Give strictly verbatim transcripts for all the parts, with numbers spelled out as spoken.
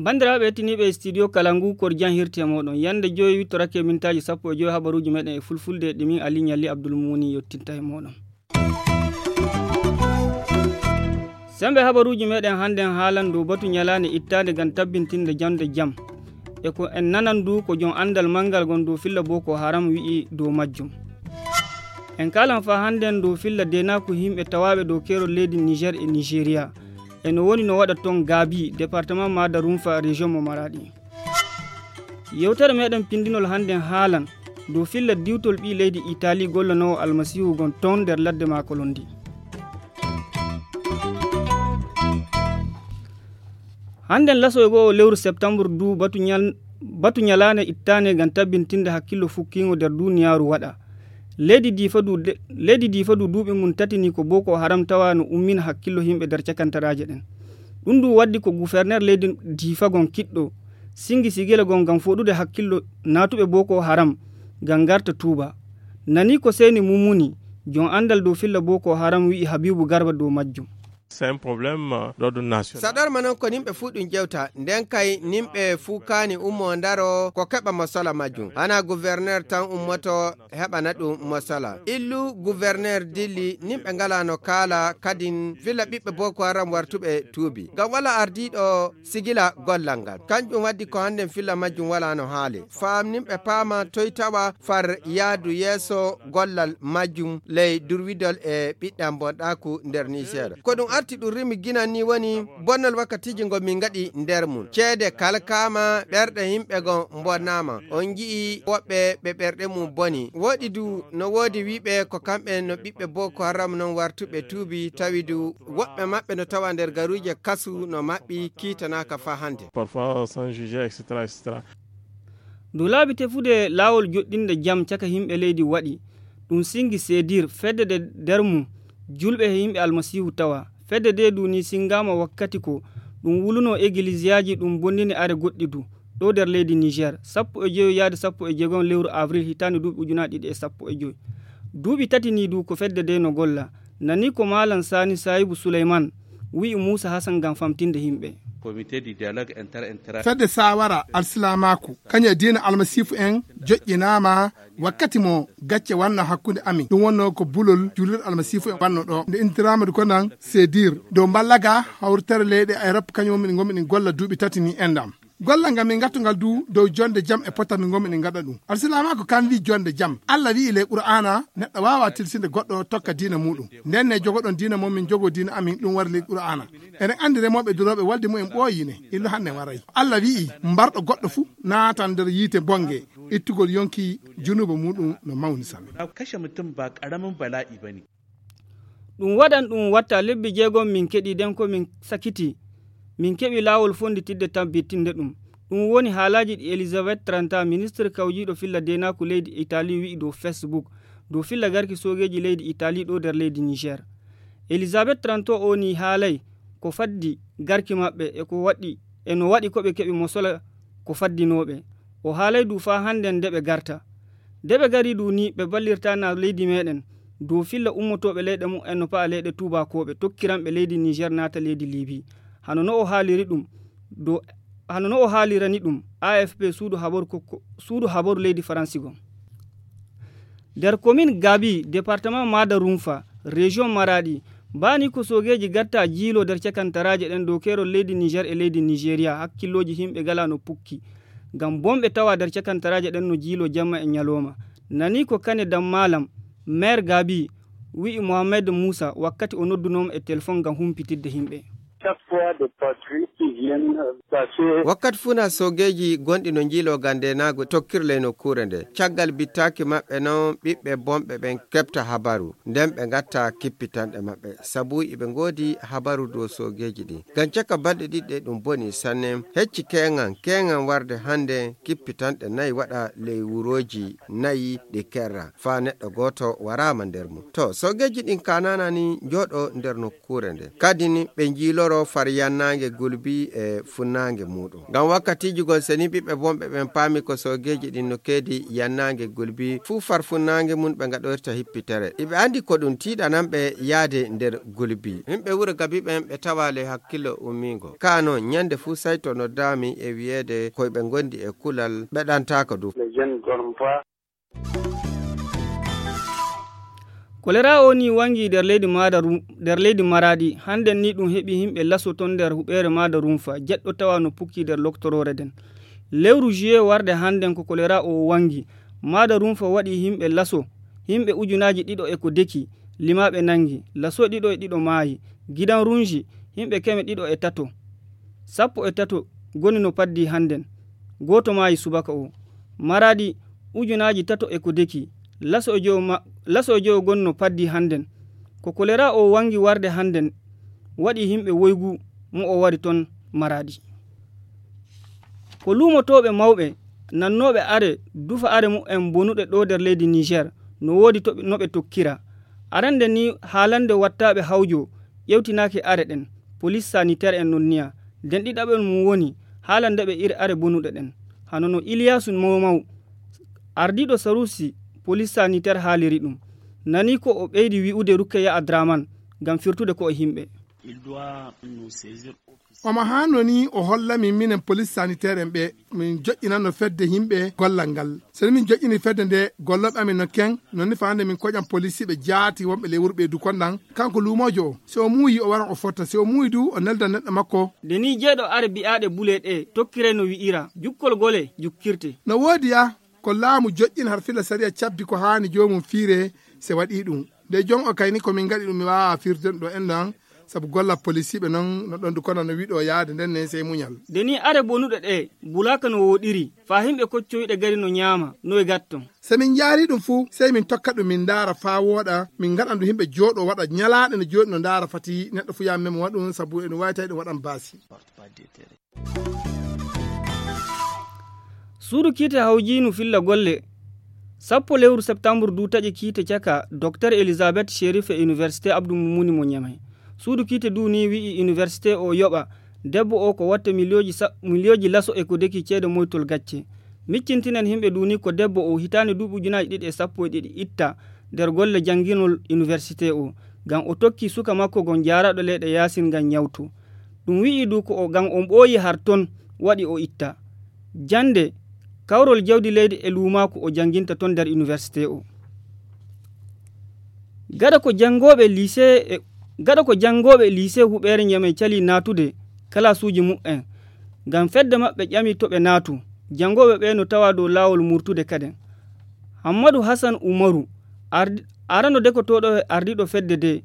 Banndiraaɓe hettiniiɓe studio Kalangu, kor jan hirti e mooɗon. Yannde joyi wittorake mintaaji sappo e joyi habaruuji meɗen e fulfulde, ɗi min Ali Ɲalli Abdul Mumuni yottinta e mooɗon. Sembe habaruuji meɗen hannden haalan dow batu ɲalaande ittaande ngam tabbintinde jannde jam. E ko en nanan du ko jon anndal manngal ngon dow filla Boko Haram wi'i dow majjum. En kaalan faa hannden dow filla deenaaku yimɓe tawaaɓe dow keerol leydi Niger e Nigeria. E no woni no waɗa ton Gaabi, departement Maada Rumfa, région mo Maraɗi. Yewtere meɗen pindinol hannden haalan dow filla diwtol ɓii leydi Itali gollanoowo Almasiihu ngon ton nder ladde maako londi. Hannden laso e go'o lewru septembre du batu ɲal-, batu ɲalaande ittaande ngam tabbintinde hakkillo fukkiingo nder duniyaaru waɗa. Leydi Diifa du de-, leydi Diifa du duuɓi mum tati ni ko Boko Haram tawa no ummina hakkillo yimɓe nder cakantaraaje ɗen. Ɗum du waddi ko gouverneur leydi Diifa gon kiɗɗo singi sigila gon ngam foɗude hakkillo naatuɓe Boko Haram ngam ngarta tuuba. Nani ko Seyni Mumuni, jon anndal dow filla Boko Haram wi'i Habibu Garba dow majjum. C'est un problème, euh, d'ordre national. Saɗorma noon ko nimɓe fuu ɗum ƴewta, nden kay nimɓe fuu kaani ummoo ndaro ko keɓa mo sola majjum. Hanaa gouverneur tan ummoto heɓana ɗum mo sola. Illu gouverneur dilli, nimɓe ngalaa no kaala, kadin filla ɓiɓɓe Boko Haram wartuɓe tuubi. Ngam walaa ardiiɗo sigila gollal ngal. Kanjum waddi ko hannden filla majjum walaa no haali. Faamnimɓe paama toy tawa far yaadu yeeso gollal majjum ley durwidol e ɓiɗɗam bonɗaaku nder Niger. Ko ɗum arti ɗum rimi ginan ni woni bonnol wakkatiiji ngo min ngaɗi nder mum. Ceede kalkaama, ɓerɗe yimɓe ngo mbonaama. On ngi'i woɓɓe ɓe ɓerɗe mum boni. Woɗi du no woodi wi'ɓe ko kamɓe no ɓiɓɓe Boko Haram non wartuɓe tuubi tawi du woɓɓe maɓɓe no tawa nder garuuje kasu no maɓɓi kiitanaaka faa hannde. Parfois sans juger, et cetera, et cetera. Dow laabi tefude laawol joɗɗinde jam caka yimɓe leydi waɗi, ɗum singi Sedir, fedde nde nder mum julɓe e yimɓe Almasiihu tawa. Fedde nde du ni singaama wakkati ko ɗum wulunoo egiliziyaaji, ɗum bonnini are goɗɗi du. Ɗo nder leydi Niger, sappo e joyo yaade sappo e jeegom lewru avril hitaande duuɓi ujunaaji ɗiɗi e sappo e joy. Duuɓi tati ni du ko fedde nde no golla. Nani ko Maalam Sani Sayibu Suleyman wi'i Muusa Hasan ngam famtinde yimɓe. Comité du dialogue inter-, inter- Fedde saawara alsilaamaaku, kañum e diina almasiifu en joƴƴinaama wakkati mo gacce wanno hakkunde amin. Ɗum wonno ko bulol julirɗe almasiifu en wanno ɗo. Nde intiraama du ko nan Sedir dow mballaga hawritere leyɗe Europe, kañum woni min ngonmi ɗin golla duuɓi tati ni endam. Gollal ngal min ngattungal du dow jonde jam e potal min ngonmi ɗin gaɗa ɗum. Alsilaamaaku kan wi'i jonde jam. Allah wi'i ley Qur'aana neɗɗo waawa tilsinde goɗɗo tokka diina muuɗum. Nden ne jogoɗon diina mon, min jogoo diina amin, ɗum wari ley Qur'aana. Eɗen anndi remooɓe durooɓe walde mumen ɓooyi ne, illu hannde waray. Allah wi'i mbarɗo goɗɗo fuu naatan nder yiite bonge, ittugol yonki junuuba muuɗum no mawni sanne. Kashe mutum ba ƙaramin bala'i ba ne. Ɗum waɗan ɗum watta lebbi jeegom min keɗi den ko min sakiti. Min keɓi laawol fonnditidde tabbitinde ɗum. Ɗum woni haalaaji ɗi Elizabeth Tranta, ministre kawjiiɗo filla deenaaku leydi Itali wi'i dow Facebook, dow filla garki soogeeji leydi Itali ɗo nder leydi Niger. Elizabeth Tranta o ni haalay ko faddi garki maɓɓe e ko waɗi, e no waɗi ko ɓe keɓi mo sola ko faddinooɓe. O haalay du faa hannden nde ɓe garta. Nde ɓe gari du ni ɓe ballirta na leydi meɗen dow filla ummotooɓe leyɗe mumen no pa'a leyɗe tuubakooɓe tokkiranɓe leydi Niger naata leydi Libi. Hano no o haaliri ɗum dow, hano no o haalirani ɗum A F P suudu habaru ko, ko, suudu habaru leydi Faransi gon. Nder komin Gabi, departement Maada Rumfa, région Maraɗi, baa ni ko soogeeji gatta jiilo nder cakantaraaje ɗen dow keerol leydi Niger e leydi Nigeria, hakkillooji yimɓe ngala no pukki. Ngam bonɓe tawa nder cakantaraaje ɗen no jiilo jamma e ɲalooma. Nani ko Kane Dammaalam, maire Gabi, wi'i Mohamed Musa wakkati o noddunoo mo e telefon ngam humpitidde yimɓe. Chaque fois des patrouilles qui viennent passer. Wakkati fuu na soogeeji gonɗi no njiiloo ngam ndeenaagu tokkir ley nokkuure nde. Caggal bittaaki maɓɓe non, ɓiɓɓe bonɓe ɓen keɓta habaru. Nden ɓe ngatta kippitanɗe maɓɓe. Sabu iɓe ngoodi habaru dow soogeeji ɗin. Ngam caka balɗe ɗiɗi ɗe ɗum boni sanne. Hecci keeŋan, keeŋan warde hannde kippitanɗe nayi waɗa ley wurooji nayi ɗi kerra. Faa neɗɗo gooto waraama nder mum. To, soogeeji ɗin kaanana ni njooɗo nder nokkuure nde. Kadi ni ɓe njiiloro o far yannaange gulbi e funnaange muuɗum. Ngam wakkatiiji gol, seni ɓiɓɓe bonɓe ɓen paami ko soogeeji ɗin no keedi yannaange gulbi, fuu far funnaange mum ɓe ngaɗoyta hippitere. Iɓe anndi ko ɗum tiiɗanan ɓe yaade nder gulbi. Yimɓe wuro Gabi ɓen ɓe tawa ley hakkillo ummiingo. Kaa non, nyannde fuu sayto noddaami e wi'eede koy ɓe ngondi e kulal, ɓe ɗantaako du. Kolera o ni wangi nder leydi Madaru-, nder leydi Maradi. Hannden ni ɗum heɓi himɓe laso ton nder huɓeere Madarunfa, jeɗɗo tawa no pukki nder loktoroore nden. Lewru juillet warde hannden ko kolera o wangi. Madarunfa waɗi himɓe laso, himɓe ujunaaji ɗiɗo e ko deki, limaaɓe nangi, laso ɗiɗo e ɗiɗo maayi, gidan runji, himɓe keme ɗiɗo e tato. Sappo e tato goni no paddi hannden. Gooto maayi subaka o. Maradi, ujunaaji tato e ko deki. Laso e jowo ma-, laso e jowo gonno paddi hannden. Ko kolera o wangi warde hannden, waɗi himɓe woygu mo o wari ton Maradi. Ko luumotooɓe mawɓe, nannooɓe are, dufa are mu'en bonuɗe ɗo nder leydi Niger, no woodi to ɓe, no ɓe tokkira. Arande ni haalande wattaaɓe hawjo, ƴewtinaaki are ɗen, polis sanitaire en nonniya. Nden ɗiɗaɓel mum woni haalande ɓe iri are bonuɗe ɗen. Hano no Iliyasu Mawmaw, ardiiɗo sarusi polis sanitaire haaliri ɗum. Nani ko o ɓeydi wi'ude Rukkeya Adraman ngam firtude ko e himɓe. Omo haano ni o holla min minen polis sanitaire en ɓe min joƴƴinanno fedde himɓe gollal ngal. So min joƴƴini fedde nde, gollooɓe amin no ken, non ni fawande min koƴan polisiiɓe jaati wonɓe ley wuro ɓe du konɗan. Kanko luumoojo o, si o muuyi o waran o fotta, si o muuyi du o nelda neɗɗo makko. Nde ni jeeɗo are bi'aaɗe bule ɗe tokkire no wi'ira, jukkol gole jukkirte. No woodi ya, ko laamu joƴƴin har filla sariya cabbi ko haani joomum fiire se waɗi ɗum. Nde jon o kayni ko min ngaɗi ɗum mi waawa firde ɗo en ɗon, sabu golla polisiiɓe non no ɗon du kono no wiɗo yaade nden ne sey muñal. Nde ni are bonuɗe ɗe bulaaka no woɗiri, faa himɓe koccoyɗe gari no ñaama, no e gatton. Se min njaari ɗum fuu, sey min tokka ɗum min ndaara faa wooɗa, min ngaɗan ɗum himɓe jooɗo waɗa ñalaaɗe no jooɗi no ndaara fati neɗɗo fuu yaa memo waɗum sabu e ɗum wawi tawi ɗum waɗan baasi. Suudu kiite hawjiinu filla golle. Sappo lewru septambur du taƴi kiite caka Docteur Elizabeth Sherif e Université Abdou Moumouni mo Niamey. Suudu kiite du ni wi'i université o yoɓa debbo o ko watta miliyooji sa-, miliyooji laso e ko deki ceede moytol gacce. Miccintinen himɓe du ni ko debbo o hitaande duuɓi ujunaaji ɗiɗi e sappo e ɗiɗi itta nder golle jannginol université o, ngam o tokki suka makko gon jaaraɗo leyɗe yaasin ngam ñawto. Ɗum wi'i du ko o, ngam on ɓooyi har ton waɗi o itta. Jannde, kawrol jawdi leydi e luumaaku o jannginta ton nder université o. Gaɗa ko janngooɓe lycée e, gaɗa ko janngooɓe lycée huɓeere Niamey cali naatude kalaasuuji muɓɓen. Ngam fedde maɓɓe ƴami to ɓe naatu. Janngooɓe ɓe no tawa dow laawol murtude kaden. Hammadu Hassan Umaru, ardi-, arano dekotooɗo e ardiiɗo fedde de,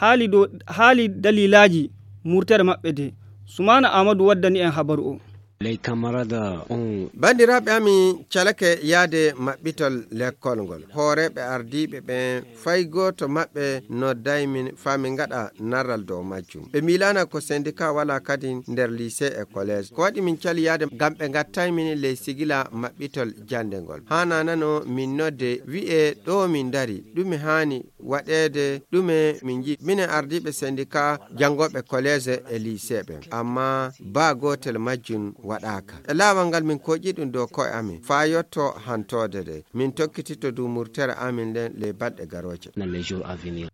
haali dow, haali dalilaaji murtere maɓɓe de. Sumaana Aamadu waddani en habaru o. Les camarades ont Banndiraaɓe amin calake yaade maɓɓitol lekkol ngol. Hooreeɓe ardiiɓe ɓen fay gooto maɓɓe nodday min faa min ngaɗa narral dow majjum. Ɓe miilaana ko sendika walaa kadi nder lycée e collège. Ko waɗi min cali yaade ngam ɓe ngattay min ley sigila maɓɓitol jannde ngol. Haanaanano min nodde wi'ee ɗo min ndari, ɗume haani waɗeede, ɗume min nji-, minen ardiiɓe sendika janngooɓe collège e lycée ɓen. Ammaa baa gootel majjum waɗaaka. E laawol ngal min kooƴi ɗum dow ko'e amin faa yotto hantoode de. Min tokkititto du murtere amin nden ley balɗe garooje. Dans les jours à venir.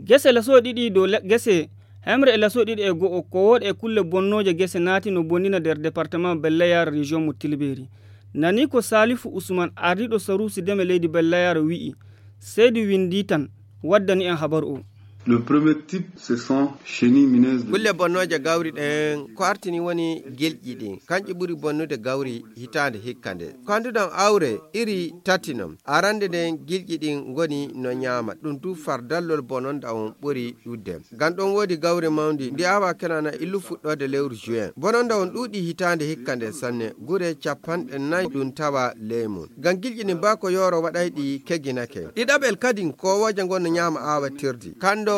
Gese laso ɗiɗi dow le-, gese hemre e laso ɗiɗi e go'o ko wooɗe e kulle bonnooje gese naati no bonnina nder département Belle Yare région mo Tilberi. Nani ko Salifu Usman ardiiɗo sarusi deme leydi Belle Yare wi'i. Seydi Winndi tan waddani en habaru o. Le premier type, ce sont chenilles mineuses de Kulle bonnooje gawri ɗen ko artini woni gilƴi ɗin. Kanƴi ɓuri bonnude gawri hitaande hikka nde. Ko annduɗon awre iri tati non. Arande nden gilƴi ɗin ngoni no ñaama. Ɗum du far dallol bononda on ɓuri ɗudde. Ngam ɗon woodi gawri mawndi, ndi awa kenana illu fuɗɗoode lewru juin. Bononda on ɗuuɗi hitaande hikka nde sanne, gure capanɗe nayi ɗum tawa ley mum. Ngam gilƴi ɗin baa ko yooro waɗay ɗi keginake. Ɗiɗaɓel kadin, koowooje ngon no ñaama aawatirdi. Kanndo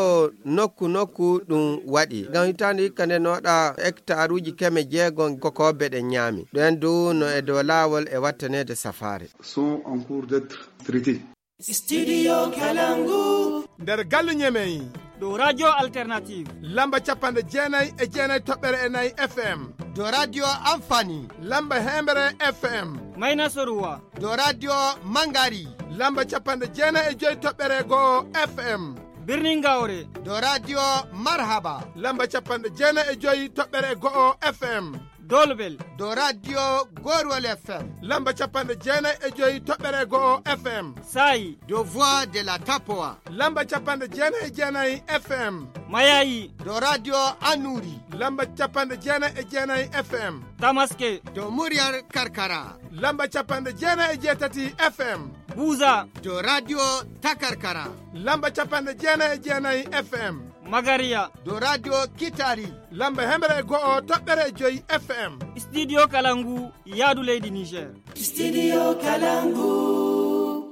nokku nokku ɗum waɗi. Ngam hitaande hikka nde nooɗa hektaruuji keme jeego kokoobe ɗen ñaami. Ɗen du no e dow laawol e wattaneede safaare. Sont en cours d'être traités. Studio Kalangu. Nder galle Ñemey, Dow Radio Alternative. Lamba capanɗe jeenayi e jeenayi toɓɓere e nayi F M. Dow Radio Amfani. Lamba heemere F M. Mayna Soruwa. Dow Radio Mangari. Lamba capanɗe jeenayi e joyi toɓɓere go'o F M. Birnin Gawre. Dow Radio Marhaba. Lamba capanɗe jeenayi e joyi toɓɓere go'o F M. Dolbel. Dow Radio Gorwol F M. Lamba capanɗe jeenayi e joyi toɓɓere go'o F M. Saayi. Dow Voix de la Tapoa. Lamba capanɗe jeenayi e jeenayi F M. Mayayi. Dow Radio Annuri. Lamba capanɗe jeenayi e jeenayi F M. Tamaske. Dow Muryar Karkara. Lamba capanɗe jeenayi e jeetati F M. Buza. Dow Radio Takarkara. Lamba capanɗe jeenayi e jeenayi F M. Magariya. Dow Radio Kitari. Lamba heemere e go'o toɓɓere e joyi F M. Studio Kalangu, yaadu leydi Niger. Studio Kalangu.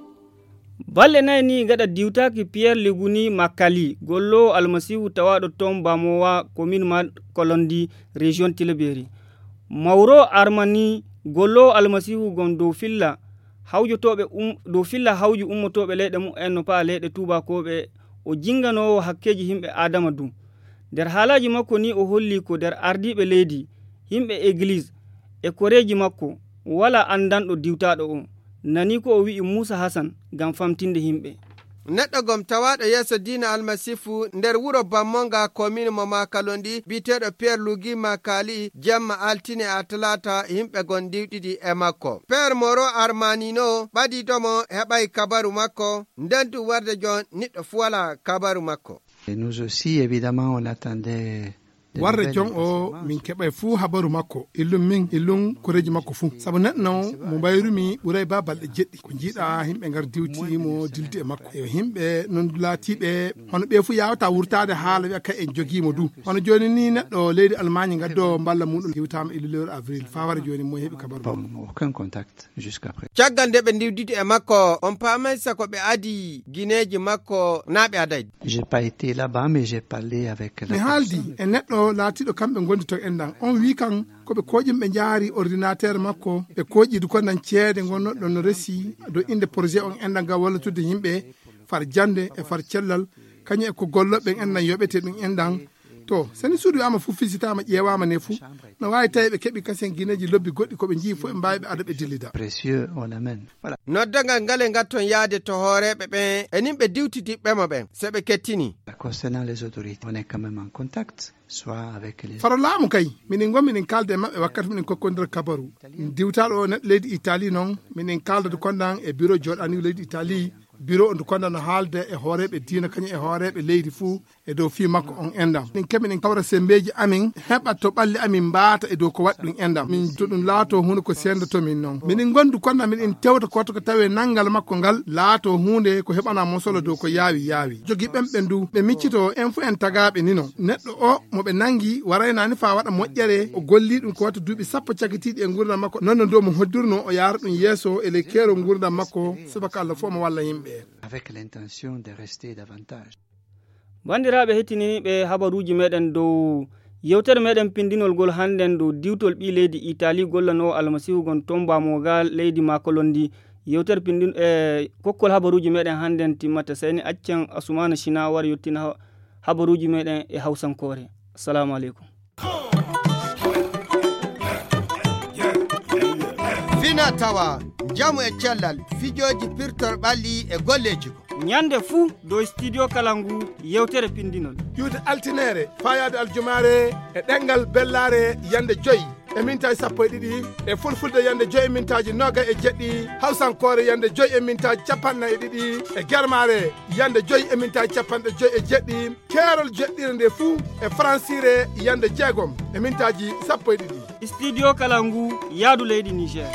Balɗe nayi ni gaɗa diwtaaki Pierre Liguni Makali, golloowo Almasiihu tawaaɗo toon Bamowa, commune ma Kolondi, région Tilaberi. Mauro Armani, golloowo Almasiihu gon dow filla hawjotooɓe um-, dow filla hawju ummotooɓe leyɗe mumen no pa'a leyɗe tuubakooɓe, o jinganoowo hakkeeji yimɓe Aadama du. Nder haalaaji makko ni o holli ko nder ardiiɓe leydi, yimɓe egliis e koreeji makko, walaa anndanɗo diwtaaɗo o. Nani ko o wi'i Muusa Hasan ngam famtinde yimɓe. Neɗɗo gom tawaaɗo yeeso diina Almasiifu nder wuro Bammonga, komin mo Makalondi, biyeteeɗo Pierre Lugi Makali, jemma altine a talaata, yimɓe gon ndiwɗiɗi e makko. Pierre Moro Armanino ɓadiiɗo mo heɓay kabaru makko, nden du warde jon niɗɗo fu walaa kabaru makko. Et nous aussi, évidemment, on attendait des warre nouvelles jon o, min keɓay fuu habaru makko. Illum min, illum koreeji makko fuu. Sabu neɗɗo non mo mbayrumi ɓuray ba balɗe jeɗɗi. Ko njiiɗa yimɓe ngar diwti mo dildi e makko. E yimɓe non laatiiɓe hono ɓe fuu yawata wurtaade haala wi'a kay en jogii mo du. Hono jooni ni neɗɗo leydi Almaañi ngaddo mballa muɗum diwtaama illu lewru avril. Faa wara jooni mo heɓi kabaru. Bon, aucun contact. Jusqu'à présent. Caggal nde ɓe ndiwditi e makko, on paamay sako ɓe adi gineeji makko naa ɓe aday. J'ai pas été là-bas, mais j'ai parlé avec la mi haaldi personne. E neɗɗo laatiiɗo kamɓe ngondi to enɗan. On wii kan ko ɓe kooƴi ɓe njaari ordinateur makko, ɓe kooƴi du ko nan ceede ngonnoɗo no resi dow innde projet on enɗan ngam wallitude yimɓe far jannde e far cellal, kañum e ko golloɓe en nan yoɓete ɗum enɗan. To, seni suudu wi'aama fof fisitaama, ƴeewaama ne fof, no waawi tawi ɓe keɓi kasen gineeji lobbi goɗɗi ko ɓe njii fof ɓe mbaawi ɓe ada ɓe dillida. Précieux, on amène. Voilà. Noddagal ngal e ngatton yaade to hooreeɓe ɓen e nin ɓe diwtitiɓɓe mo ɓen, so ɓe kettini. Concernant les autorités, on est quand même en contact, soit avec les faro laamu kay, minin ngon minin kaalda e maɓɓe wakkati minin kokkondira kabaru. Diwtaaɗo o neɗɗo leydi Italie non, minin kaalda du kondan e bureau jooɗaaniiɗo leydi Italie, bureau on du kondan no haalda e hooreeɓe diina kañum e hooreeɓe leydi fuu e dow fii makko on enɗam. Min keɓi min kawra sembeeji amin, heɓa to ɓalli amin mbaata e dow ko waɗi ɗum enɗam. Min to ɗum laato huunde ko senndoto min non. Minin ngondu kono minin tewta koto ko tawee nanngal makko ngal laato huunde ko heɓana mosolo dow ko yaawi yaawi. Jogi ɓen ɓen du, ɓe miccito en fu en tagaaɓe ni non. Neɗɗo o mo ɓe nanngi waraynaani faa waɗa moƴƴere, o golli ɗum ko wata duuɓi sappo cakitiiɗi e ngurndan makko. Non no dow mo hoddurno o yaara ɗum yeeso e ley keerol ngurndan makko, subaka Allah fof mo walla yimɓe. Avec l'intention de rester davantage. Banndiraaɓe hettiniiɓe habaruuji meɗen dow yewtere meɗen pindinol ngol hannden dow diwtol ɓii leydi Italie gollanoowo Almasiihu gon tomba mo ga leydi Makolondi. Yewtere pindin-, e kokkol habaruuji meɗen hannden timmata. Seyni accen Asumaana Sina wara yottina ha-, habaruuji meɗen e Hawsankoore. Assalamu aleykum. Fina tawa, njamu e cellal, fijooji pirtor ɓalli e golleeji ko. Ñande fuu dow Studio Kalangu yewtere pindinol. Iwde altineere, faayaade aljumaare e ɗemngal bellaare yande joy e mintaaji sappo e ɗiɗi, e fulfulde yande joy e mintaaji noogay e jeɗɗi, hawsankoore yande joy e mintaaji capanɗe nayi e ɗiɗi, e germaare yande joy e mintaaji capanɗe joy e jeɗɗi, keerol jeɗɗire nde fuu e faransiire yande jeegom e mintaaji sappo e ɗiɗi. Studio Kalangu, yaadu leydi Niger.